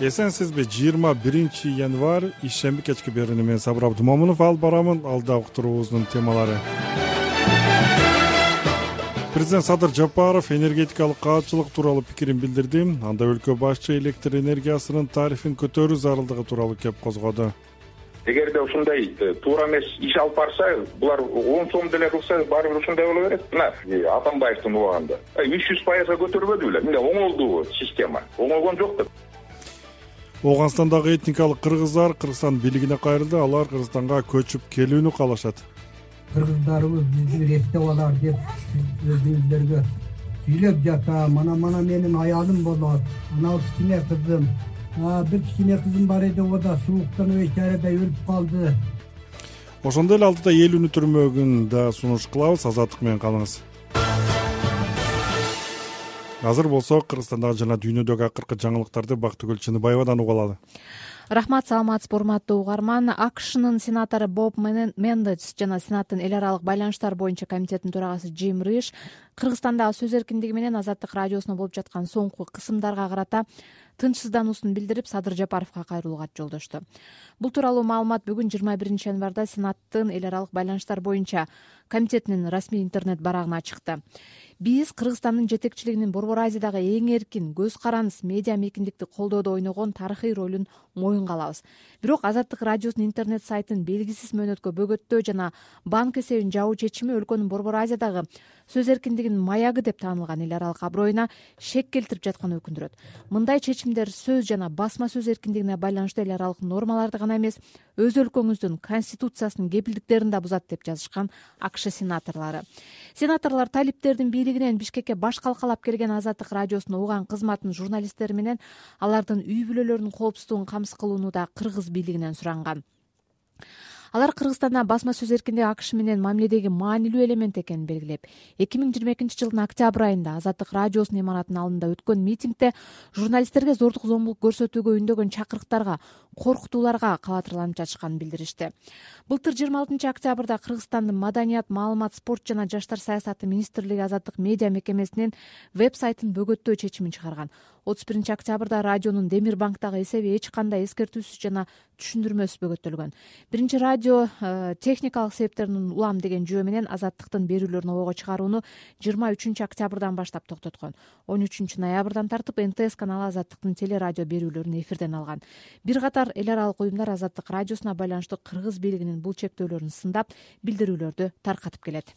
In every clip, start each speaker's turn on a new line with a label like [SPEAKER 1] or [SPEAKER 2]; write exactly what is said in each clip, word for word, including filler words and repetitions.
[SPEAKER 1] Эсенсизби, жыйырма биринчи январь ишемби кечки берүүнү мен Сабыр Абдумомунов алып барамын. Алда уктуруубуздун темалары. Президент Садыр Жапаров энергетикалык каатчылык тууралуу пикирин билдирди. Анда өлкө башчы электр энергиясынын тарифин көтөрүү зарылдыгы тууралуу кеп козгоду.
[SPEAKER 2] Эгерде ушундай туура эмес иш алып барса, булар он сом деле кылса, баары бир ушундай боло берет. Мына Атамбаевдин убагында үч жүз пайызга көтөрбөдү беле. Мына оңолду система. Оңолгон жок деп.
[SPEAKER 1] Оганстандагы этникалык кыргыздар Кыргызстан бийлигине кайрылды. Алар Кыргызстанга көчүп келүүнү каалашат.
[SPEAKER 3] Кыргыздарыбыз бизди эстеп алар деп өзүңүздөргө сүйлөп жата. Мана-мана менин аялым болот. Анау кичине кызым. Бир кичине кызым бар эди, о да сууктан өйчарада өлүп калды.
[SPEAKER 1] Ошондой эле алдыда эл өнүтүрмөгүн да сунуш кылабыз. Азаттык менен калыңыз. Азыр болсо Кыргызстандагы жана дүйнөдөгү акыркы жаңылыктарды Бактыгүл Чыныбаевадан уга алалы.
[SPEAKER 4] Рахмат, саламатсызбы урматтуу угарман. АКШнын сенатору Боб Мендес жана Сенаттын эл аралык байланыштар боюнча комитетинин төрагасы Джим Риш Кыргызстандагы сөз эркиндиги менен Азаттык радиосуна болуп жаткан соңку кысымдарга карата тынчсыздануусун билдирип, Садыр Жапаровго кайрылуу кат жолдошту. Бул тууралуу маалымат бүгүн жыйырма биринчи январда Сенаттын эл аралык байланыштар боюнча комитетинин расмий интернет барагына чыкты. Биз Кыргызстандын жетекчилигинин Борбор Азиядагы эң эркин, көз карандыс медиа мейкиндикти колдоодо ойногон тарыхый ролун моюнга алабыз. Бирок Азаттык радиосунун интернет сайтын белгисиз мөөнөткө бөгөттөө жана банк эсебин жабуу чечими өлкөнүн Борбор Азиядагы сөз эркиндигинин маягы деп таанылган эл аралык аброюна шек келтирип жатканы өкүндүрөт. Мындай чечимдер сөз жана басма сөз эркиндигине байланыштуу эл аралык нормаларды гана эмес, өз өлкөңүздүн конституциясынын кепилдиктерин да бузат деп жазышкан АКШ сенаторлору. Сенаторлор талиптердин бийлигинен Бишкекке баш калкалап келген Азаттык радиосуна уган кызматтын журналисттери менен алардын үй бүлөлөрүнүн коопсуздугун камсыз кылууну да кыргыз бийлигинен суранган. Алар Кыргызстанда басма сөз эркиндиги АКШ менен мамиледеги маанилүү элемент экенин белгилеп, эки миң жыйырма экинчи жылдын октябрь айында Азаттык радиосунун имаратынын алдында өткөн митингде журналисттерге зордук зомбулук көрсөтүүгө үндөгөн чакырыктарга, коркутууларга кабатырланып жатышканын билдиришти. Былтыр жыйырма алтынчы октябрда Кыргызстандын Маданият, маалымат, спорт жана жаштар саясаты министрлиги Азаттык медиа мекемесинин веб-сайтын бөгөттөө чечимин чыгарган. отуз биринчи октябрда радионун Демир банктагы эсеби эч кандай эскертүүсүз жана түшүндүрмөсүз бөгөттөлгөн. Биринчи радио э, техникалык себептерден улам деген жөө менен Азаттыктын берүүлөрүн обого чыгарууну жыйырма үчүнчү октябрдан баштап токтоткон. он үчүнчү ноябрдан тартып эн тэ эс каналы Азаттыктын телерадио берүүлөрүн эфирден алган. Бир катар эл аралык уюмдар Азаттык радиосуна байланыштуу кыргыз бийлигинин бул чектөөлөрүн сындап, билдирүүлөрдү таркатып келет.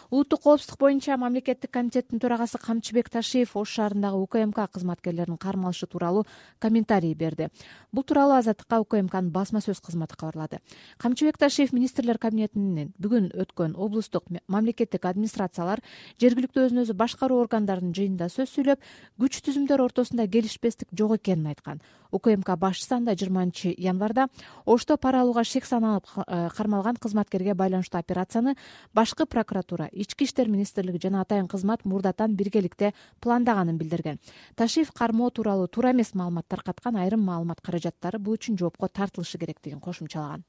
[SPEAKER 4] Улуттук коопсуздук боюнча мамлекеттик комитеттин төрагасы Камчыбек Ташиев Ош шаарындагы У К М К кызматкерлеринин кармалышы тууралуу комментарий берди. Бул тууралуу Азаттыкка У К М Кнын басма сөз кызматы кабарлады. Камчыбек Ташиев министрлер кабинетинин бүгүн өткөн облустук мамлекеттик администрациялар, жергиликтүү өзүн өзү башкаруу органдарынын жыйынында сөз сүйлөп, күч түзүмдөр ортосунда келишпестик жок экенин айткан. У К М К башчысы анда жыйырманчы январда Ошто пара алууга шек саналып кармалган кызматкерге байланыштуу операцияны башкы прокуратура, Ички иштер министрлиги жана атайын кызмат мурдатан биргеликте пландаганын билдирген. Ташиев кармоо тууралуу туура эмес маалымат таркаткан, айрым маалымат каражаттары бул үчүн жоопко тартылышы керектигин кошумчалаган.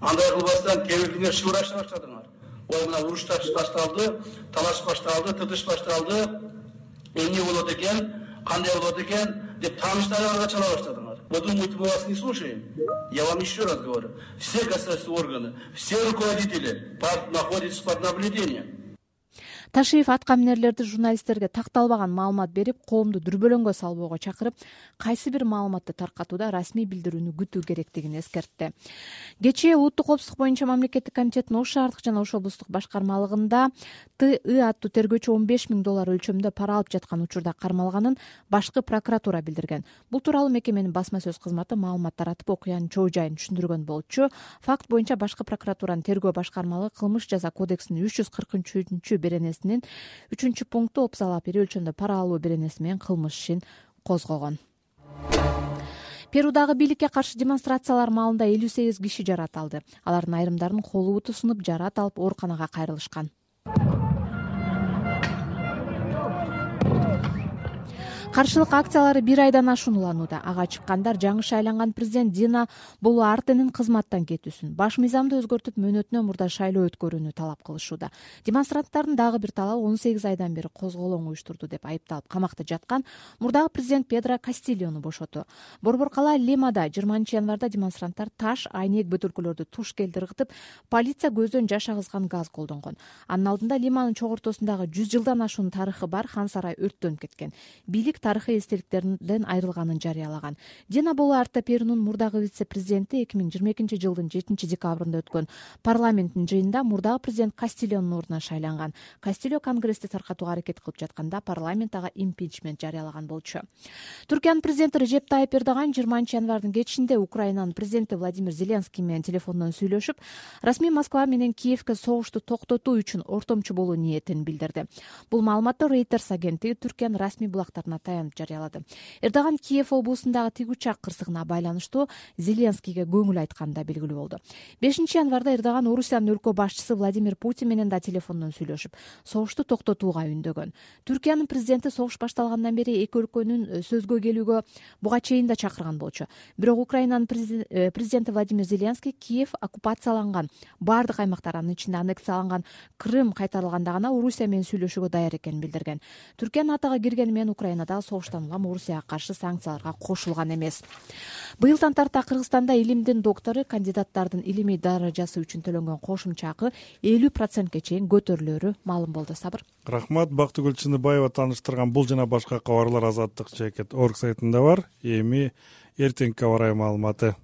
[SPEAKER 5] Андай кылбастан кээ бирдиңер шыбырашты баштадыңар. Ой, мына уруш башталды, талаш башталды, тытыш башталды. Эмне болот экен, кандай болот экен деп тааныштарыңарга чала баштадыңар. Вы думаете, мы вас не слушаем? Я вам еще раз говорю. Все государственные органы, все руководители находятся под наблюдением.
[SPEAKER 4] Ташиев аткаминерлерди журналисттерге такталбаган маалымат берип, коомду дүрбөлөңгө салбоого чакырып, кайсы бир маалыматты таркатууда расмий билдирүүнү күтүү керектигин эскертти. Кечээ улуттук коопсуздук боюнча мамлекеттик комитеттин Ош шаардык жана Ош облустук башкармалыгында Т И аттуу тергөөчү он беш миң доллар өлчөмдө пара алып жаткан учурда кармалганын башкы прокуратура билдирген. Бул тууралуу мекеменин басма сөз кызматы маалымат таратып, окуянын чоо жайын түшүндүргөн болчу. Факт боюнча башкы прокуратуранын тергөө башкармалыгы кылмыш жаза кодексинин үч жүз кыркынчы беренесинин үчүнчү пункту опсалап ири өлчөмдө пара алуу беренеси менен кылмыш ишин козгогон. Перудагы бийликке каршы демонстрациялар маалында элүү сегиз киши жарат алды. Алардын айрымдарынын колу буту сынып, жарат алып ооруканага кайрылышкан. каршылык акциялары бир айдан ашуун уланууда. Ага чыккандар жаңы шайланган президент Дина Болуартенин кызматтан кетүүсүн, баш мыйзамды өзгөртүп мөөнөтүнөн мурда шайлоо өткөрүүнү талап кылышууда. Демонстранттардын дагы бир талабы он сегиз айдан бери козголоң уюштурду деп айыпталып камакта жаткан мурдагы президент Педро Кастильону бошотуу. Борбор кала Лимада жыйырманчы январда демонстранттар таш, айнек бөтөлкөлөрдү туш келди ыргытып, полиция көздөн жаш агызган газ колдонгон. Анын алдында Лиманын чогортосундагы жүз жылдан ашуун тарыхы бар хан сарай өрттөнүп кеткен. Бийлик тарыхый эстеликтерден айрылганын жарыялаган. Дина Болуарте Перунун мурдагы вице-президенти эки миң жыйырма экинчи жылдын жетинчи декабрында өткөн парламенттин жыйынында мурдагы президент Кастильонун ордуна шайланган. Кастильо конгрессти таркатууга аракет кылып жатканда парламент ага импичмент жарыялаган болчу. Түркиянын президенти Режеп Тайып Эрдоган жыйырманчы январдын кечинде Украинанын президенти Владимир Зеленский менен телефондон сүйлөшүп, расмий Москва менен Киевке согушту токтотуу үчүн ортомчу болуу ниетин билдирди. Бул маалыматты Reuters агенттиги Түркиянын расмий булактарына таянып жарыялады. Эрдоган Киев облусундагы тигучак кырсыгына байланыштуу Зеленскийге көңүл айтканы да белгилүү болду. бешинчи январда Эрдоган Орусиянын өлкө башчысы Владимир Путин менен да телефондон сүйлөшүп, согушту токтотууга үндөгөн. Түркиянын президенти согуш башталгандан бери эки өлкөнүн сөзгө келүүгө буга чейин да чакырган болчу. Бирок Украинанын президенти Владимир Зеленский Киев оккупацияланган, бардык аймактар, анын ичинде аннексияланган Крым кайтарылганда гана Орусия менен сүйлөшүүгө даяр экенин билдирген. Түркия натога киргени менен Украинадагы согуштан улам Орусияга каршы санкцияларга кошулган эмес. Быйылдан тарта Кыргызстанда илимдин доктору кандидаттардын илимий даражасы үчүн төлөнгөн кошумча акы элүү процентке чейин көтөрүлөрү маалым болду. Сабыр.
[SPEAKER 1] Рахмат. Бактыгүл Чыныбаева тааныштырган бул жана башка кабарлар Азаттык Жекет орг сайтында бар. Эми эртеңки аба ырайы маалыматы.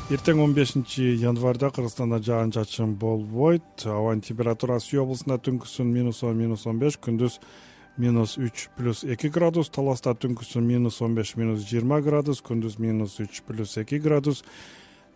[SPEAKER 1] Эртең он бешинчи январда Кыргызстанда жаан-чачын болбойт. Абанын температурасы Үй облусунда түнкүсүн минус он, минус он беш, күндүз минус үч плюс эки градус, Таласта түнкүсүн минус он беш, минус жыйырма градус, күндүз минус үч плюс эки градус.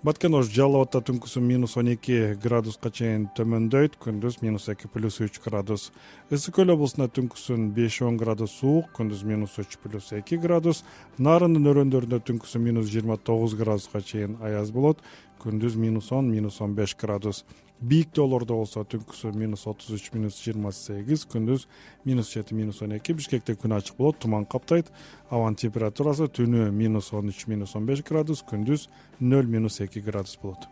[SPEAKER 1] Баткен Ош Жалал Абадта түнкүсүн минус он эки градуска чейин төмөндөйт, күндүз минус эки плюс үч градус. Ысык Көл облусунда түнкүсүн беш он градус суук, күндүз минус үч плюс эки градус. Нарындын өрөөндөрүндө түнкүсүн минус жыйырма тогуз градуска чейин аяз болот, күндүз минус он, минус он беш градус. Бийик тоолордо болсо түнкүсүн минус отуз үч, минус жыйырма сегиз, күндүз минус жети, минус он эки. Бишкекте күн ачык болот, туман каптайт. Абанын температурасы түнү минус он үч, минус он беш градус, күндүз нөл, минус эки градус болот.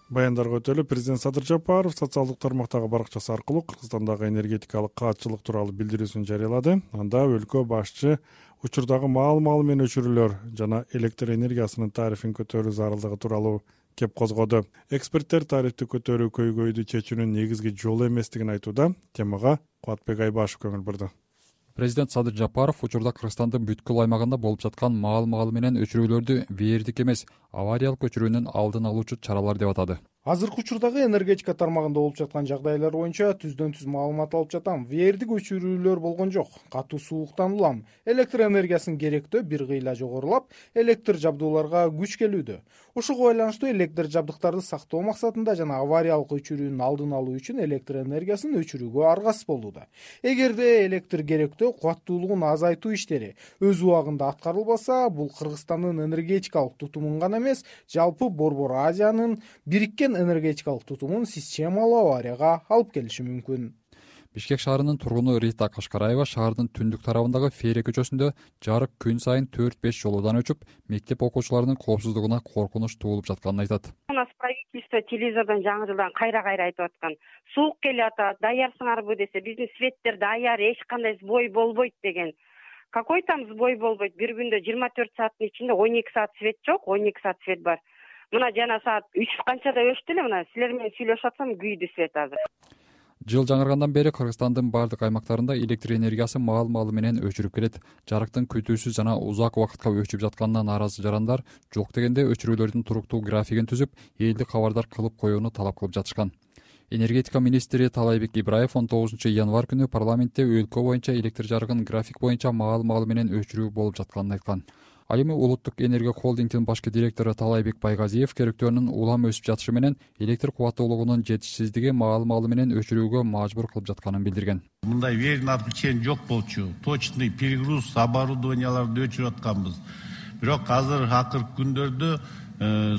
[SPEAKER 1] Баяндарга өтөлүп, президент Садыр Жапаров социалдык тармактагы баракчасы аркылуу Кыргызстандагы энергетикалык каатчылык тууралуу билдирүүсүн жарыялады. Анда өлкө башчы учурдагы маал-маал менен өчүрүүлөр жана электр энергиясынын тарифин көтөрүү зарылдыгы тууралуу кеп козгоду. Эксперттер тарифти көтөрүү көйгөйдү чечүүнүн негизги жолу эместигин айтууда. Темага Кубатбек Айбашев көңүл бурду.
[SPEAKER 6] Президент Садыр Жапаров учурда Кыргызстандын бүткүл аймагында болуп жаткан маал-маал менен өчүрүүлөрдү вээрдик эмес, авариялык өчүрүүнүн алдын алуучу чаралар деп атады.
[SPEAKER 7] Азыркы учурдагы энергетика тармагында болуп жаткан жагдайлар боюнча түздөн түз маалымат алып жатам. Вээрдик өчүрүүлөр болгон жок. Катуу сууктан улам электр энергиясынын керектөө бир кыйла жогорулап, электр жабдууларга күч келүүдө. Ушуга байланыштуу электр жабдыктарды сактоо максатында жана авариялык өчүрүүнүн алдын алуу үчүн электр энергиясын өчүрүүгө аргасыз болууда. Эгерде электр керектөө кубаттуулугун азайтуу иштери өз убагында аткарылбаса, бул Кыргызстандын энергетикалык тутумун гана эмес, жалпы Борбор Азиянын бириккен энергетикалык тутумун системалуу аварияга алып келиши мүмкүн.
[SPEAKER 6] Бишкек шаарынын тургуну Рита Кашкараева шаардын түндүк тарабындагы Фере көчөсүндө жарык күн сайын төрт беш жолуудан өчүп, мектеп окуучуларынын коопсуздугуна коркунуч туулуп жатканын айтат.
[SPEAKER 8] У нас правительство телевизордон жаңы жылдан кайра-кайра айтып аткан. Суук келип атат, даярсыңарбы десе, биздин светтер даяр, эч кандай сбой болбойт деген. Какой там сбой болбойт? Бир күндө жыйырма төрт сааттын ичинде он эки саат свет жок, он эки саат свет бар. Мына жана саат үч канчада өчтү эле, мына силер менен сүйлөшүп атсам күйдү свет азыр.
[SPEAKER 6] Жыл жаңыргандан бери Кыргызстандын бардык аймактарында электр энергиясы маал-маалы менен өчүрүп келет. Жарыктын күтүүсүз жана узак убакытка өчүп жатканына нааразы жарандар жок дегенде өчүрүүлөрдүн туруктуу графигин түзүп, элди кабардар кылып коюуну талап кылып жатышкан. Энергетика министри Талайбек Ибраев он тогузунчу январь күнү парламентте өлкө боюнча электр жарыгын график боюнча маал-маалы менен өчүрүү болуп жатканын айткан. Ал эми Улуттук энергия холдингдин башкы директору Талайбек Байгазиев керектөөнүн улам өсүп жатышы менен электр кубаттуулугунун жетишсиздиги маал-маалы менен өчүрүүгө мажбур кылып жатканын билдирген.
[SPEAKER 9] Мындай верный отключение жок болчу. Точный перегруз оборудованияларды өчүрүп атканбыз. Бирок азыр акыркы күндөрдө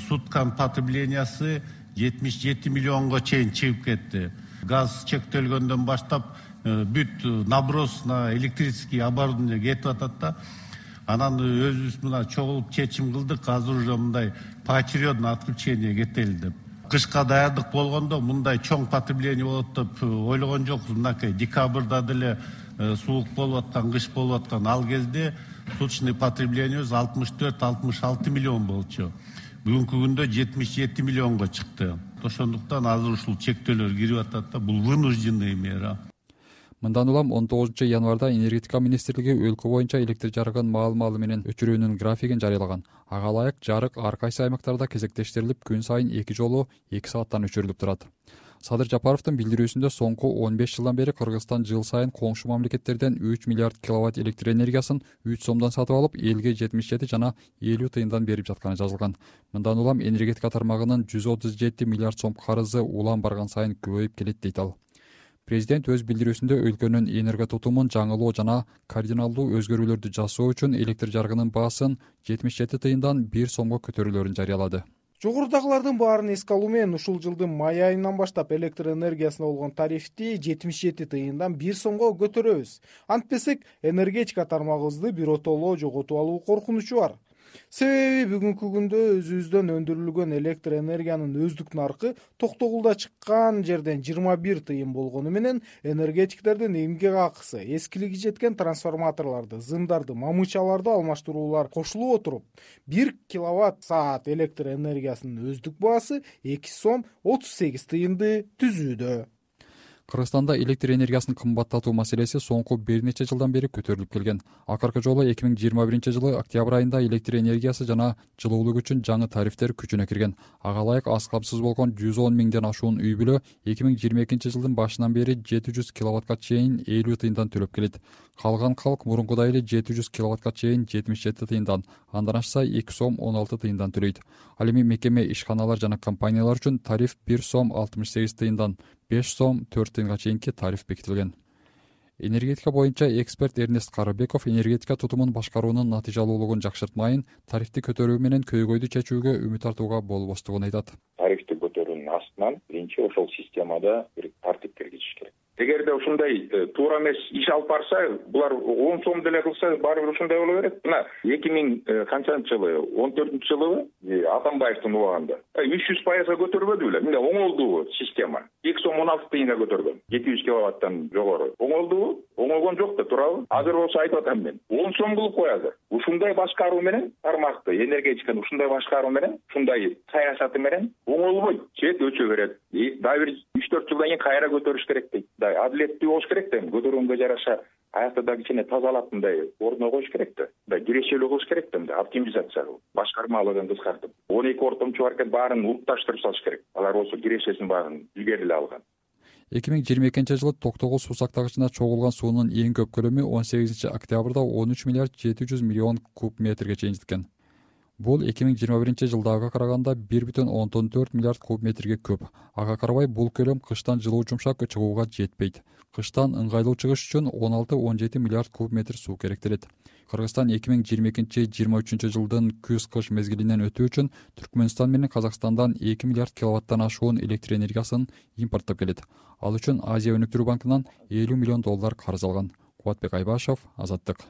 [SPEAKER 9] сутканын потреблениясы жетимиш жети миллионго чейин чыгып кетти. Газ чектелгөндөн баштап бүт наброс на электрический оборудование кетип атат да. Анан өзүбүз мына чогулуп чечим кылдык, азыр уже мындай поочередно отключение кетели деп. Кышка даярдык болгондо мындай чоң потребление болот деп ойлогон жокпуз. Мынакей декабрда деле суук болуп аткан, кыш болуп аткан ал кезде суточный потреблениебиз алтымыш төрт алтымыш алты миллион болчу. Бүгүнкү күндө жетимиш жети миллионго чыкты. Ошондуктан азыр ушул чектөөлөр кирип атат да, бул вынужденный мера.
[SPEAKER 6] Мындан улам он тогузунчу январда энергетика министрлиги өлкө боюнча электр жарыгын маал-маалы менен өчүрүүнүн графигин жарыялаган. Ага ылайык жарык ар кайсы аймактарда кезектештирилип, күн сайын эки жолу эки сааттан өчүрүлүп турат. Садыр Жапаровдун билдирүүсүндө соңку он беш жылдан бери Кыргызстан жыл сайын коңшу мамлекеттерден үч миллиард киловатт электр энергиясын үч сомдон сатып алып, элге жетимиш жети жана элүү тыйындан берип жатканы жазылган. Мындан улам энергетика тармагынын жүз отуз жети миллиард сом карызы улам барган сайын көбөйүп келет дейт ал. Президент өз билдирүүсүндө өлкөнүн энерго тутумун жаңылоо жана кардиналдуу өзгөрүүлөрдү жасоо үчүн электр жарыгынын баасын жетимиш жети тыйындан бир сомго көтөрүүлөрүн жарыялады.
[SPEAKER 7] Жогорудагылардын баарын эске алуу менен ушул жылдын май айынан баштап электр энергиясына болгон тарифти жетимиш жети тыйындан бир сомго көтөрөбүз. Антпесек, энергетика тармагыбызды биротоло жоготуп алуу коркунучу бар. Себеби бүгүнкү күндө өзүбүздөн өндүрүлгөн электр энергиянын өздүк наркы токтогулда чыккан жерден жыйырма бир тыйын болгону менен энергетиктердин эмгек акысы, эскилиги жеткен трансформаторлорду, зымдарды, мамычаларды алмаштыруулар кошулуп отуруп, бир киловатт саат электр энергиясынын өздүк баасы эки сом отуз сегиз тыйынды түзүүдө.
[SPEAKER 6] Кыргызстанда электр энергиясын кымбаттатуу маселеси соңку бир нече жылдан бери көтөрүлүп келген. Акыркы жолу эки миң жыйырма биринчи жылы октябрь айында электр энергиясы жана жылуулук үчүн жаңы тарифтер күчүнө кирген. Ага ылайык аз камсыз болгон жүз он миңден ашуун үй бүлө эки миң жыйырма экинчи жылдын башынан бери жети жүз киловаттка чейин элүү тыйындан төлөп келет. Калган калк мурункудай эле жети жүз киловаттка чейин жетимиш жети тыйындан, андан ашса эки сом он алты тыйындан төлөйт. Ал эми мекеме, ишканалар жана компаниялар үчүн тариф бир сом алтымыш сегиз тыйындан беш сом төрт тыйынга чейинки тариф бекитилген. Энергетика боюнча эксперт Эрнест Карыбеков энергетика тутумун башкаруунун натыйжалуулугун жакшыртмайын, тарифти көтөрүү менен көйгөйдү чечүүгө үмүт артууга болбостугун айтат.
[SPEAKER 2] Тарифти көтөрүүнүн астынан биринчи ошол системада бир тартип киргизиш керек. Эгерде ушундай туура эмес иш алып барса, булар он сом деле кылса, баары бир ушундай боло берет. Мына эки миң канчанчы жылы, он төртүнчү жылы Атамбаевдин убагында үч жүз пайызга көтөрбөдү беле. Мына оңолдубу система? эки сом он алты тыйынга көтөргөн. жети жүз киловаттан жогору. Оңолдубу? Оңолгон жок да, туурабы? Азыр болсо айтып атам мен. он сом кылып коязы. Ушундай башкаруу менен, тармакты, энергетиканы ушундай башкаруу менен, ушундай саясаты менен оңолбойт. Чет өчө берет. Дагы бир үч төрт жылдан кийин кайра көтөрүш керек дейт. Адилеттүү болуш керек да, көтөргөнгө жараша аякта да кичине тазалап мындай ордуна коюш керек да. Мындай кирешелүү кылыш керек да, мындай оптимизация кылып, башкармалыгын кыскартып. он эки ортомчу бар экен, баарын улутташтырып салыш керек. Алар болсо кирешесин баарын илгери эле алган.
[SPEAKER 6] эки миң жыйырма экинчи жылы Токтогул суу сактагычына чогулган суунун эң көп көлөмү он сегизинчи октябрда он үч миллиард жети жүз миллион куб метрге чейин жеткен. Бул эки миң жыйырма биринчи жылдагыга караганда бир бүтүн ондон төрт миллиард куб метрге көп. Ага карабай бул көлөм кыштан жылуу жумшак чыгууга жетпейт. Кыштан ыңгайлуу чыгыш үчүн он алты он жети миллиард куб метр суу керектелет. Кыргызстан эки миң жыйырма экинчи жыйырма үчүнчү жылдын күз-кыш мезгилинен өтүү үчүн Түркмөнстан менен Казакстандан эки миллиард киловаттан ашуун электр энергиясын импорттоп келет. Ал үчүн Азия өнүктүрүү банкынан элүү миллион доллар карыз алган. Кубатбек Айбашев, Азаттык.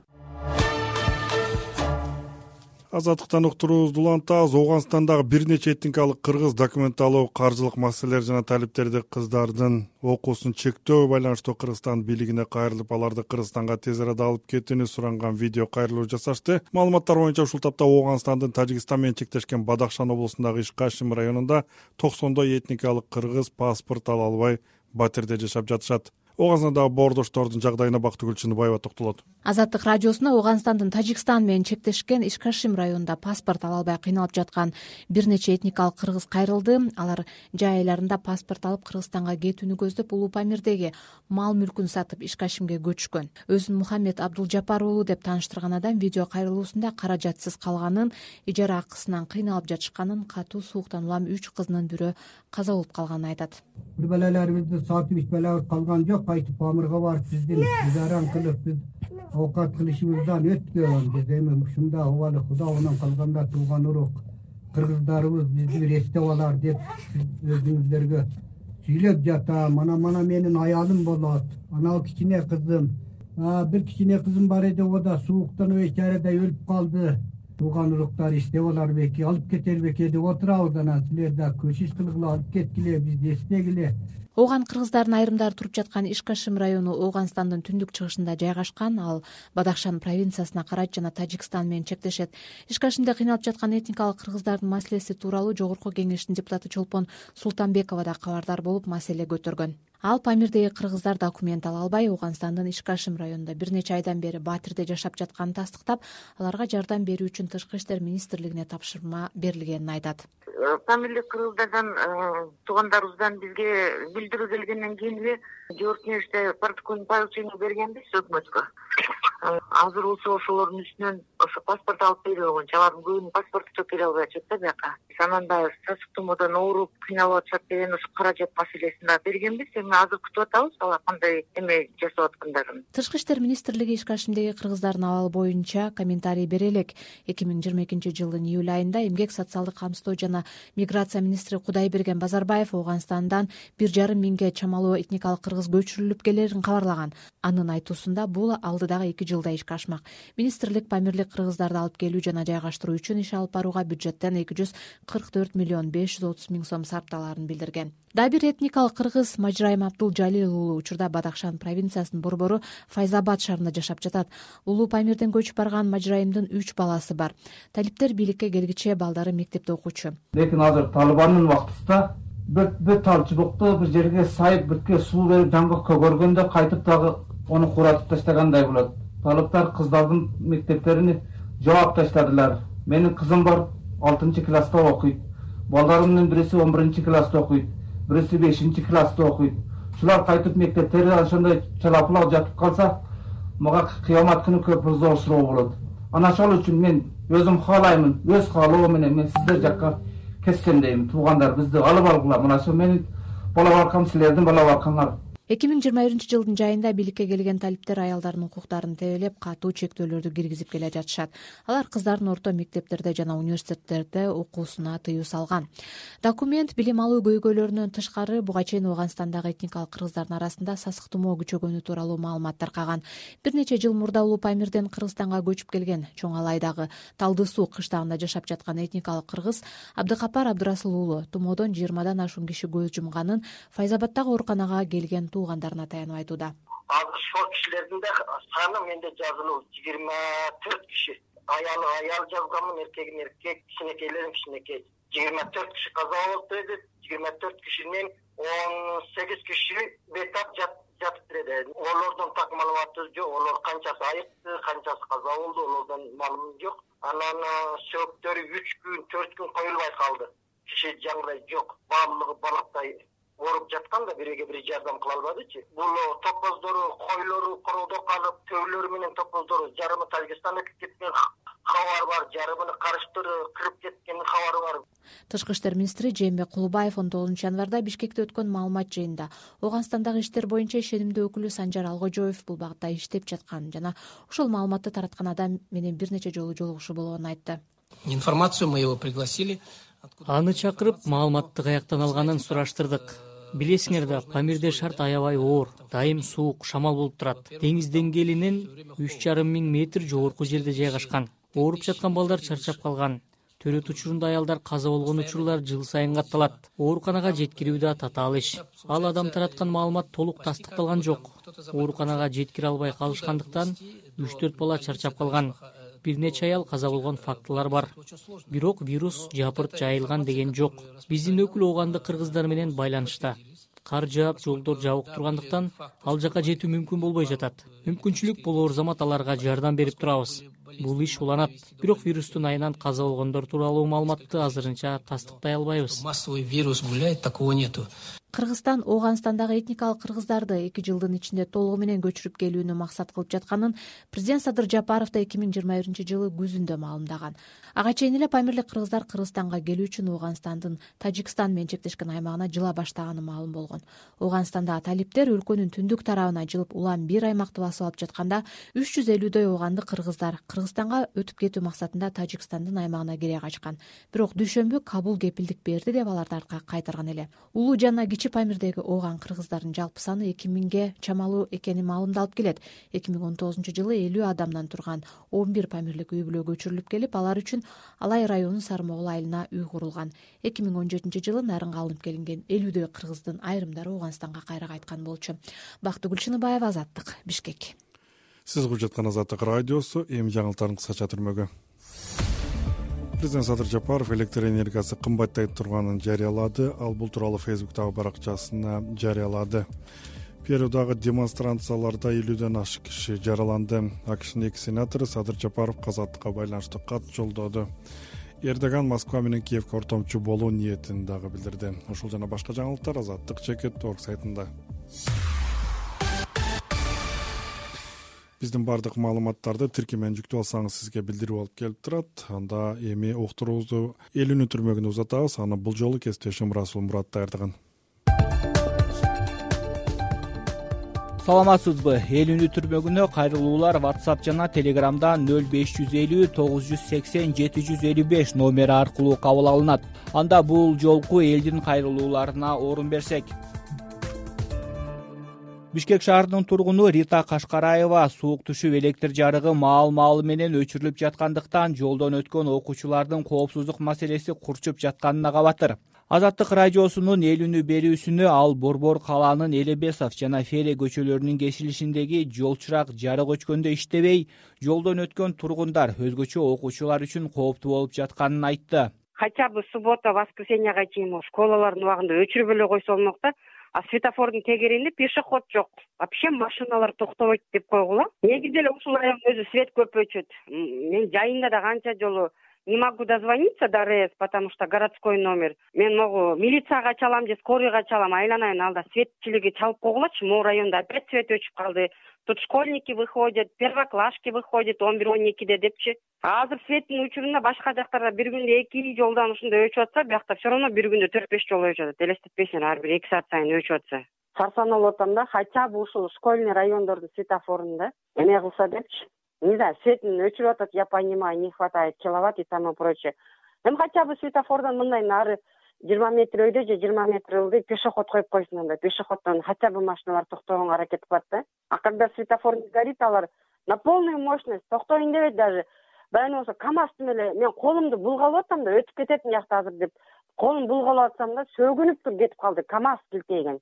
[SPEAKER 1] Азаттыктан уктуруубузду улантабыз. Ооганстандагы бир нече этникалык кыргыз документалуу каржылык маселелер жана талиптерди кыздардын окуусун чектөө байланыштуу Кыргызстан бийлигине кайрылып, аларды Кыргызстанга тез арада алып кетүүнү суранган видео кайрылуу жасашты. Маалыматтар боюнча ушул тапта Ооганстандын Тажикстан менен чектешкен Бадахшан облусундагы Иш-Кашим районунда токсондой этникалык кыргыз паспорт ала албай батирде жашап жатышат. Ооганстандагы боордоштордун жагдайына Бактыгүл Чыныбаева токтолот.
[SPEAKER 4] Азаттык радиосуна Ооганстандын Тажикстан менен чектешкен Иш-Кашим районунда паспорт ала албай кыйналып жаткан бир нече этникалык кыргыз кайрылды. Алар жай айларында паспорт алып Кыргызстанга кетүүнү көздөп Улуу Памирдеги мал мүлкүн сатып Иш-Кашимге көчкөн. Өзүн Мухаммед Абдулжапар уулу деп тааныштырган адам видео кайрылуусунда каражатсыз калганын, ижара акысынан кыйналып жатышканын, катуу сууктан улам үч кызынын бирөө каза болуп калганын айтат.
[SPEAKER 3] Балаларыбызды сатып ичпелеп калган жок, кайтып Памирге барып биздин ижаран кылып биз оокат кылышыбыздан өткөн. Биз эми ушунда убалы Куда менен калганда тууган урук кыргыздарыбыз бизди бир эстеп алар деп өзүңүздөргө сүйлөп жатам. Мана мана менин аялым болот. анау кичине кызым, бир кичине кызым бар эди, о да сууктан бечарадай өлүп калды. Тууган уруктар иштеп алар беки, алып кетер беки деп отурабыз. Анан силер да көчүш кылгыла, алып кеткиле, бизди эстегиле.
[SPEAKER 4] Ооган кыргыздардын айрымдары туруп жаткан Ишкашим району Ооганстандын түндүк чыгышында жайгашкан. Ал Бадахшан провинциясына карайт жана Тажикстан менен чектешет. Ишкашимде кыйналып жаткан этникалык кыргыздардын маселеси тууралуу Жогорку Кеңештин депутаты Чолпон Султанбекова да кабардар болуп маселе көтөргөн. Ал Памирдеги кыргыздар документ ала албай Ооганстандын Ишкашим районунда бир нече айдан бери Батирде жашап жатканын тастыктап, аларга жардам берүү үчүн Тышкы иштер министрлигине тапшырма берилгенин айтат.
[SPEAKER 10] Памирлик кыргыздардан туугандарыбыздан бизге билдирүү келгенден кийин эле Жогорку Кеңеште протокольный поручение бергенбиз өкмөткө. Азыр болсо ошолордун үстүнөн ошо паспорт алып берүү болгончу, алардын көбүнүн паспорту да келе албай атышат да бияка. Анан да сасык тумоодон ооруп кыйналып атышат деген ошо каражат маселесин да бергенбиз. Эми азыр күтүп атабыз алар кандай эме жасап аткандарын.
[SPEAKER 4] Тышкы иштер министрлиги Ишкашимдеги кыргыздардын абалы боюнча комментарий бере элек. эки миң жыйырма экинчи жылдын июль айында эмгек социалдык камсыздоо жана миграция министри Кудайберген Базарбаев Ооганстандан бир жарым миңге чамалуу этникалык кыргыз көчүрүлүп келерин кабарлаган. Анын айтуусунда бул алдыдагы эки жылда ишке ашмак. Министрлик Памирлик кыргыздарды алып келүү жана жайгаштыруу үчүн иш алып барууга бюджеттен эки жүз кырк төрт миллион беш жүз отуз миң сом сарпталаарын билдирген. Дагы бир этникалык кыргыз Мажрайым Абдул-Жалил уулу учурда Бадахшан провинциясынын борбору Файзабад шаарында жашап жатат. Улуу Памирден көчүп барган Мажрайымдын үч баласы бар. Талиптер бийликке келгиче балдары мектепте окуучу.
[SPEAKER 11] Лекин азыр Талибандын вактысында бир тал чыбыкты бир жерге сайып, бирке суу берип жаңгак көгөргөндө кайтып дагы ону куратып таштагандай болот. Талиптар кыздардын мектептерин жаап таштадылар. Менин кызым бар, алтынчы класста окуйт. Балдарымдын бириси он биринчи класста окуйт, бириси бешинчи класста окуйт. Шулар кайтып мектептери ошондой чалапылак жатып калса, мага кыямат күнү көп зор суроо болот. Анан ошол үчүн мен өзүм каалаймын, өз каалоом менен мен сиздер жакка кетсем дейм. Туугандар бизди алып алгыла. Мына ошо менин бала баркам, силердин бала баркаңар.
[SPEAKER 4] эки миң жыйырма биринчи жылдын жайында бийликке келген талиптер аялдардын укуктарын тебелеп, катуу чектөөлөрдү киргизип келе жатышат. Алар кыздардын орто мектептерде жана университеттерде окуусуна тыюу салган. Документ билим алуу көйгөйлөрүнөн тышкары буга чейин Ооганстандагы этникалык кыргыздардын арасында сасык тумоо күчөгөнү тууралуу маалымат таркаган. Бир нече жыл мурда Улуу Памирден Кыргызстанга көчүп келген Чоң Алайдагы Талды суу кыштагында жашап жаткан этникалык кыргыз Абдыкапар Абдырасыл уулу тумоодон жыйырмадан ашуун киши көз жумганын Файзабаддагы ооруканага келген туугандарына таянып айтууда.
[SPEAKER 12] Азыр ошол кишилердин да саны менде жазылуу жыйырма төрт киши. Аялы аял жазганмын, эркегин эркек, кичинекейлерин кичинекей. жыйырма төрт киши каза болуптур эди. жыйырма төрт кишинин он сегиз киши бетап жатып берди. Олордун так маалыматы жок. Олор канчасы айыкты, канчасы каза болду, олордон маалымат жок. Анан сөөктөрү үч күн, төрт күн коюлбай калды. Киши жаңгырай жок. Баардыгы балактай ооруп жаткан да бириге бири жардам кыла албадычы. Бул топоздору, койлору короодо калып, төөлөрү менен топоздору жарымы Тажикстанга кеткен кабар бар, жарымыны карыштыры кырып кеткен кабары бар.
[SPEAKER 4] Тышкы иштер министри Жээнбек Кулубаев он тогузунчу январда Бишкекте өткөн маалымат жыйынында Ооганстандагы иштер боюнча ишенимдүү өкүлү Санжар Алгожоев бул багытта иштеп жатканын жана ошол маалыматты тараткан адам менен бир нече жолу жолугушуу болгонун айтты.
[SPEAKER 13] Информацию мы его пригласили.
[SPEAKER 14] Аны чакырып, маалыматты каяктан алганын сураштырдык. Билесиңер да, Памирде шарт аябай оор, дайым суук, шамал болуп турат. Деңиз деңгээлинен үч жарым миң метр жогорку жерде жайгашкан. Ооруп жаткан балдар чарчап калган. Төрөт учурунда аялдар каза болгон учурлар жыл сайын катталат. Ооруканага жеткирүү да татаал иш. Ал адам тараткан маалымат толук тастыкталган жок. Ооруканага жеткире албай калышкандыктан үч төрт бала чарчап калган. Бир нече аял каза болгон фактылар бар. Бирок вирус жапырт жайылган деген жок. Биздин өкүл ооганды кыргыздар менен байланышта. Кар жаап, жолдор жабык тургандыктан ал жака жетүү мүмкүн болбой жатат. Мүмкүнчүлүк болоор замат аларга жардам берип турабыз. Бул иш уланат. Бирок вирустун айынан каза болгондор тууралуу маалыматты азырынча тастыктай албайбыз.
[SPEAKER 13] Массовый вирус гуляет, такого нету.
[SPEAKER 4] Кыргызстан Ооганстандагы этникалык кыргыздарды эки жылдын ичинде толугу менен көчүрүп келүүнү максат кылып жатканын президент Садыр Жапаров да эки миң жыйырма биринчи жылы күзүндө маалымдаган. Ага чейин эле Памирлик кыргыздар Кыргызстанга келүү үчүн Ооганстандын Тажикстан менен чектешкен аймагына жыла баштаганы маалым болгон. Ооганстандагы талиптер өлкөнүн түндүк тарабына жылып улам бир аймакты басып алып жатканда үч жүз элүүдөй ооганды кыргыздар Кыргызстанга өтүп кетүү максатында Тажикстандын аймагына кире качкан. Бирок дүйшөмбү Кабул кепилдик берди деп аларды артка кайтарган эле. Улуу жана кичи Памирдеги ооган кыргыздардын жалпы саны эки миңге чамалуу экени маалымдалып келет. эки миң он тогузунчу жылы элүү адамдан турган он бир памирлик үй бүлө көчүрүлүп келип, алар үчүн Алай районунун Сармогул айылына үй курулган. эки миң он жетинчи жылы Нарынга алынып келинген элүүдөй кыргыздын айрымдары Ооганстанга кайра кайткан болчу. Бактыгүл Шыныбаева, Азаттык, Бишкек.
[SPEAKER 1] Сиз угуп жаткан Азаттык радиосу, эми жаңылыктардын кыскача түрмөгү. Президент Садыр Жапаров электр энергиясы кымбаттай турганын жарыялады. Ал бул тууралуу Фейсбуктагы баракчасына жарыялады. Перудагы демонстрацияларда элүүдөн ашык киши жараланды. АКШнын эки сенатору Садыр Жапаровго азаттыкка байланыштуу кат жолдоду. Эрдоган Москва менен Киевге ортомчу болуу ниетин дагы билдирди. Ушул жана башка жаңылыктар азаттык чекит точка орг сайтында. Биздин бардык маалыматтарды тиркемен жүктөп алсаңыз сизге билдирүү алып келип турат. Анда эми уктуруубузду элүүнү түрмөгүнө узатабыз. Аны бул жолу кесиптешим Расул Мурат даярдаган.
[SPEAKER 15] Саламатсызбы? Элүүнү түрмөгүнө кайрылуулар WhatsApp жана Telegramда нөл беш жүз элүү тогуз жүз сексен жети жүз элүү беш номери аркылуу кабыл алынат. Анда бул жолку элдин кайрылууларына орун берсек. Бишкек шаарынын тургуну Рита Кашкараева суук түшүп электр жарыгы маал-маалы менен өчүрүлүп жаткандыктан жолдон өткөн окуучулардын коопсуздук маселеси курчуп жатканына кабатыр. Азаттык радиосунун элүүнү берүүсүнө ал Борбор калаанын Элебесов жана Фере көчөлөрүнүн кесилишиндеги жол чырак жарык өчкөндө иштебей, жолдон өткөн тургундар, өзгөчө окуучулар үчүн кооптуу болуп жатканын айтты.
[SPEAKER 8] Хотя бы суббота, воскресеньега чейин школалардын убагында өчүрүп эле койсо болмок да. А светофордун тегерегинде пешеход жок. Вообще машиналар токтобойт деп койгула. Негизи эле ушул райондо өзү свет көп өчөт. Мен жайында да канча жолу не могу дозвониться до РЭС, потому что городской номер. Мен могу милицияга чалам же скорыйга чалам, айланайын алда светчилиги чалып койгулачы. Могу районда опять свет өчүп калды. Тут школьники выходят, первоклашки выходят он бир он экиде депчи. Азыр светтин учурунда башка жактарда бир күндө эки жолдон ушундай өчүп атса, биякта все равно бир күндө төрт беш жол өчүп атат. Элестетпейсиңер, ар бир эки саат сайын өчүп атса. Сарсан болуп атам да, хотя бы ушул школьный райондордун светофорунда эме кылса депчи. Не знаю, светін өчүрүп атат, я понимаю, не хватает киловатт и тому прочее. Эми хотя бы светофордон мындай нары жыйырма метр өйдө же жыйырма метр ылдый пешеход коюп койсун анда. Пешеходдон хотя бы машиналар токтогонго аракет кылат да. А когда светофор не горит, алар на полную мощность токтоюн дебейт даже. Баягы болсо КамАЗдын эле мен колумду булгалап атам да өтүп кететин жакта азыр деп. Колум булгалап атсам да сөгүнүп туруп кетип калды. КамАЗ килтейген.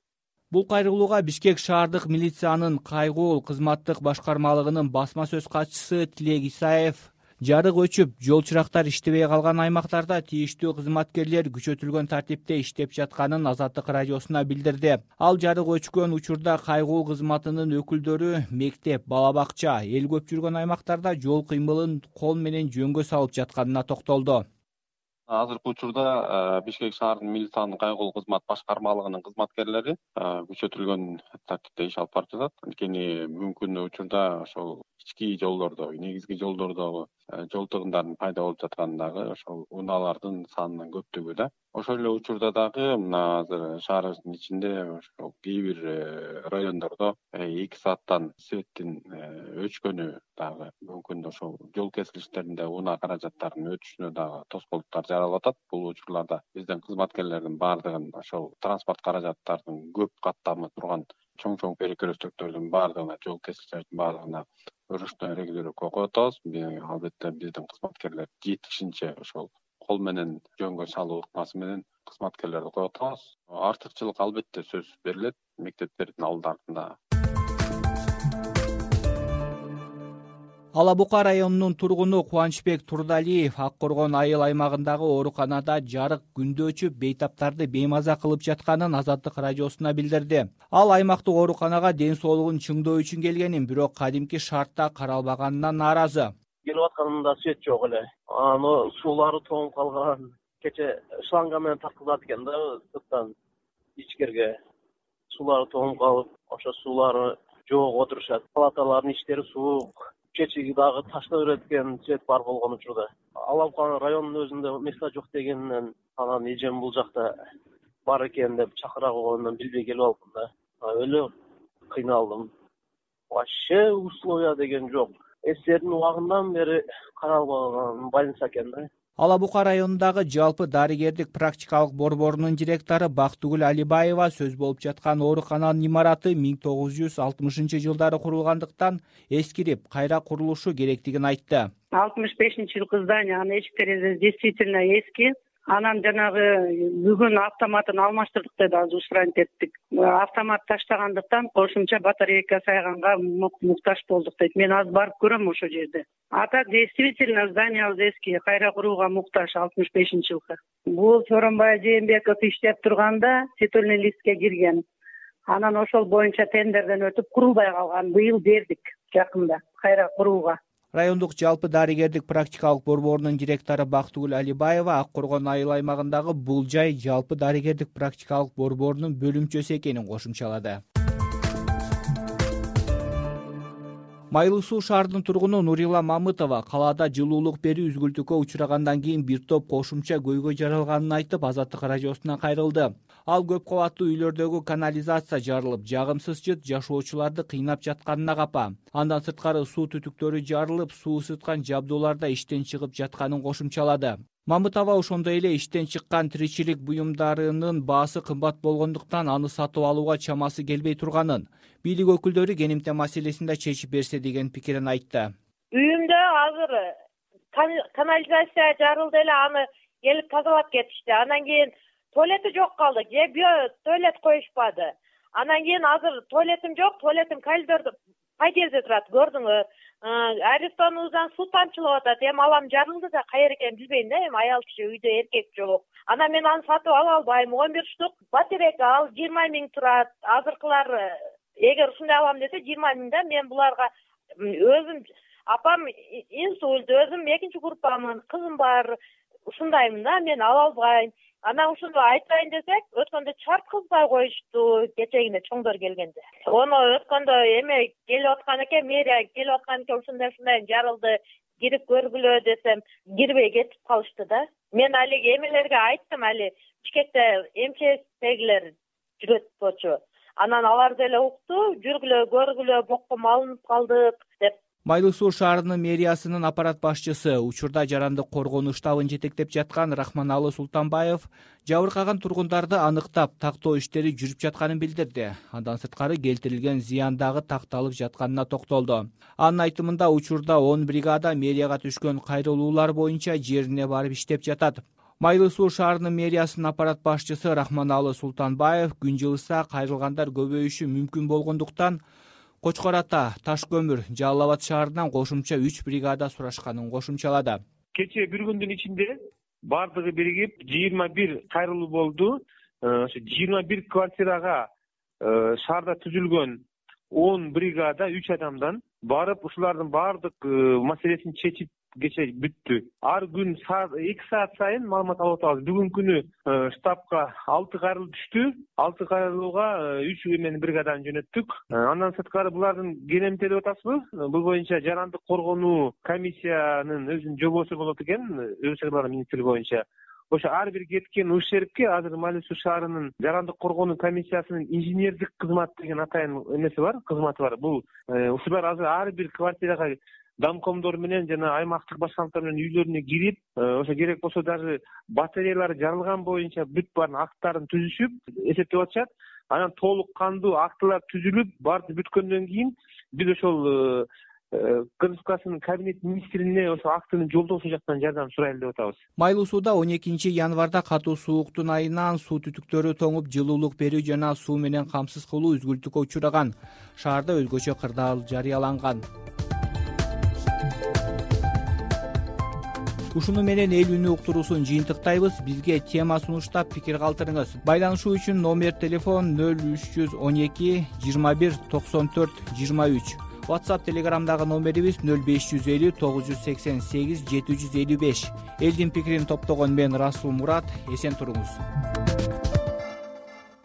[SPEAKER 15] Бул кайрылууга Бишкек шаардык милициянын кайгуул кызматтык башкармалыгынын басма сөз катчысы Тилек Исаев жарык өчүп, жол чырактар иштебей калган аймактарда тийиштүү кызматкерлер күчөтүлгөн тартипте иштеп жатканын Азаттык радиосуна билдирди. Ал жарык өчкөн учурда кайгуул кызматынын өкүлдөрү мектеп, бала бакча, эл көп жүргөн аймактарда жол кыймылын кол менен жөнгө салып жатканына токтолду.
[SPEAKER 16] Азыркы учурда Бишкек шаарынын милициянын кайгуул кызмат башкармалыгынын кызматкерлери күчөтүлгөн тартипте иш алып барып жатат. Анткени мүмкүн учурда ошол ички жолдордо, негизги жолдордогу жол тыгындардын пайда болуп жаткандагы ошол унаалардын санынын көптүгү да. Ошол эле учурда дагы мына азыр шаарыбыздын ичинде ошол кээ бир райондордо эки сааттан светтин өчкөнү дагы мүмкүн ошол жол кесилиштеринде унаа каражаттарынын өтүшүнө дагы тоскоолдуктар жаралып атат. Бул учурларда биздин кызматкерлердин баардыгын ошол транспорт каражаттарынын көп каттамы турган чоң-чоң перекрестөктөрдүн баардыгына, жол кесилиштердин баардыгына ручной регулировка коюп атабыз. Албетте биздин кызматкерлер жетишинче ошол кол менен жөнгө салуу ыкмасы менен кызматкерлерди коюп атабыз. Артыкчылык албетте сөзсүз берилет мектептердин алдарында.
[SPEAKER 15] Ала Бука районунун тургуну Кубанычбек Турдалиев Ак Коргон айыл аймагындагы ооруканада жарык күндө өчүп, бейтаптарды беймаза кылып жатканын Азаттык радиосуна билдирди. Ал аймактык ооруканага ден соолугун чыңдоо үчүн келгенин, бирок кадимки шартта каралбаганына нааразы.
[SPEAKER 17] Келип атканында свет жок эле. Аны суулары тоңуп калган. Кече шланга менен тарткызат экен да, сырттан ичкерге. Суулары тоңуп калып, ошо суулары жок отурушат. Палаталардын иштери суук. Чечиги дагы таштап берет экен свет бар болгон учурда. Алабукан районунун өзүндө места жок дегенинен анан эжем бул жакта бар экен деп чакыра койгондон билбей келип алдым да. Өлө кыйналдым. Вообще условия деген жок. Эстердин убагынан бери каралбаган больница экен да.
[SPEAKER 15] Ала Бука районундагы жалпы дарыгердик практикалык борборунун директору Бактыгүл Алибаева сөз болуп жаткан оорукананын имараты миң тогуз жүз алтымышынчы жылдары курулгандыктан эскирип, кайра курулушу керектигин айтты.
[SPEAKER 18] алтымыш бешинчи жылкы здание, анын эшик терезеси действительно эски. Анан жанагы бүгүн автоматын алмаштырдык деди, азыр ушурантип эттик. Автомат таштагандыктан кошумча батарейка сайганга муктаж болдук дейт. Мен азыр барып көрөм ошол жерде. А так действительно зданиябыз эски, кайра курууга муктаж алтымыш бешинчи жылкы. Бул Сооронбай Жээнбеков иштеп турганда титульный листке кирген. Анан ошол боюнча тендерден өтүп курулбай калган. Быйыл бердик жакында кайра курууга.
[SPEAKER 15] Райондук жалпы дарыгердик практикалык борборунун директору Бактыгүл Алибаева Ак Коргон айыл аймагындагы бул жай жалпы дарыгердик практикалык борборунун бөлүмчөсү экенин кошумчалады. Майлуу Суу шаарынын тургуну Нурила Мамытова калаада жылуулук берүү үзгүлтүккө учурагандан кийин бир топ кошумча көйгөй жаралганын айтып, Азаттык радиосуна кайрылды. Ал көп кабаттуу үйлөрдөгү канализация жарылып, жагымсыз жыт жашоочуларды кыйнап жатканына капа. Андан сырткары суу түтүктөрү жарылып, суу ысыткан жабдууларда иштен чыгып жатканын кошумчалады. Мамытова ошондой эле иштен чыккан тиричилик буюмдарынын баасы кымбат болгондуктан аны сатып алууга чамасы келбей турганын, бийлик өкүлдөрү кенемте маселесин да чечип берсе деген пикирин айтты.
[SPEAKER 19] Үйүмдө азыр канализация жарылды эле, аны келип тазалап кетишти. Анан кийин туалети жок калды, же био туалет коюшпады. Анан кийин азыр туалетим жок, туалетим коридордо подъездде турат, көрдүңөр. Арестонубуздан суу тамчылап атат. Эми алам жарылды да кайер экенин билбейм да, эми аял киши үйдө, эркек жок. Анан мен аны сатып ала албайм. он бир штук батарейка ал жыйырма миң турат. Азыркылар эгер ушундай алам десе жыйырма миң да, мен буларга өзүм апам инсульт, өзүм экинчи группамын, кызым бар. Ушундаймын да, мен ала албайм. Анан ушуну айтайын десек, өткөндө чарткызбай коюшту, кечегине чоңдор келгенде. Ону өткөндө эме келип аткан экен, мэрия келип аткан экен, ушундай ушундай жарылды, кирип көргүлө десем, кирбей кетип калышты да. Мен алиги эмелерге айттым, али Бишкекте эм че эстегилер жүрөт болчу. Анан алар деле укту, жүргүлө, көргүлө, бокко алынып калдык деп.
[SPEAKER 15] Майлуу Суу шаарынын мэриясынын аппарат башчысы, учурда жарандык коргонуу штабын жетектеп жаткан Рахманалы Султанбаев жабыркаган тургундарды аныктап, тактоо иштери жүрүп жатканын билдирди. Андан сырткары келтирилген зыян дагы такталып жатканына токтолду. Анын айтымында учурда он бригада мэрияга түшкөн кайрылуулар боюнча жерине барып иштеп жатат. Майлуу Суу шаарынын мэриясынын аппарат башчысы Рахманалы Султанбаев күн жылыса кайрылгандар көбөйүшү мүмкүн болгондуктан Кочкор Ата, Таш көмүр, Жалал Абад шаарынан кошумча үч бригада сурашканын кошумчалады.
[SPEAKER 20] Кечээ бир күндүн ичинде бардыгы биригип жыйырма бир кайрылуу болду. Ошо жыйырма бир квартирага шаарда түзүлгөн он бригада үч адамдан барып ушулардын баардык маселесин чечип кече бүттү. Ар күн эки саат сайын маалымат алып атабыз. Бүгүнкү күнү штабка алты кайрылуу түштү. алты кайрылууга үч эмен бригаданы жөнөттүк. Андан сырткары булардын кенемтелеп атасызбы? Бул боюнча жарандык коргонуу комиссиянын өзүнүн жобосу болот экен, Өзгө ишler министрлиги боюнча. Ошо ар бир кеткен ушерпке азыр Майлуу Суу шаарынын жарандык коргонуу комиссиясынын инженердик кызмат деген атайын эмеси бар, кызматы бар. Бул ушулар азыр ар бир квартирага домкомдор менен жана аймактык башкармалар менен үйлөрүнө кирип, ошо керек болсо даже батареялары жарылган боюнча бүт баарын акттарын түзүшүп, эсептеп атышат. Анан толук кандуу актылар түзүлүп, баары бүткөндөн кийин биз ошол Конституциянын кабинет министрине ошо актыны жолдоосу жактан жардам сурайлы деп атабыз.
[SPEAKER 15] Майлуу Сууда он экинчи январда катуу сууктун айынан суу түтүктөрү тоңуп, жылуулук берүү жана суу менен камсыз кылуу үзгүлтүккө учураган. Шаарда өзгөчө кырдаал жарыяланган. Ушуну менен эл үнү уктуруусун жыйынтыктайбыз. Бизге тема сунуштап пикир калтырыңыз. Байланышуу үчүн номер телефон нөл үч жүз он эки жыйырма бир токсон төрт жыйырма үч. WhatsApp Telegramдагы номерибиз нөл беш жүз элүү тогуз жүз сексен сегиз жети жүз элүү беш. Элдин пикирин топтогон мен Расул Мурат. Эсен туруңуз.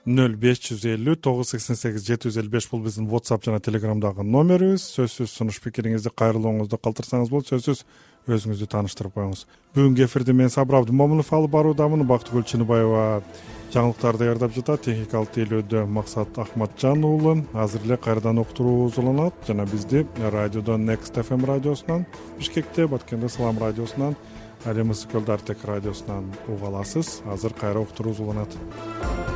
[SPEAKER 1] нөл беш жүз элүү тогуз жүз сексен сегиз жети жүз элүү беш бул биздин WhatsApp жана Telegramдагы номерибиз. Сөзсүз сунуш пикириңизди, кайрылууңузду калтырсаңыз болот. Сөзсүз өзүңүздү тааныштырып коюңуз. Бүгүнкү эфирди мен Сабыр Абдымомунов алып баруудамын. Бактыгүл Чыныбаева жаңылыктарды даярдап жатат. Техникалык тейлөөдө Максат Ахматжан уулу. Азыр эле кайрадан уктуруу уланат жана бизди радиодон Next эф эм радиосунан, Бишкекте Баткенде Салам радиосунан, Али Мысыкөлдү Артек радиосунан уга аласыз. Азыр кайра уктуруубуз уланат.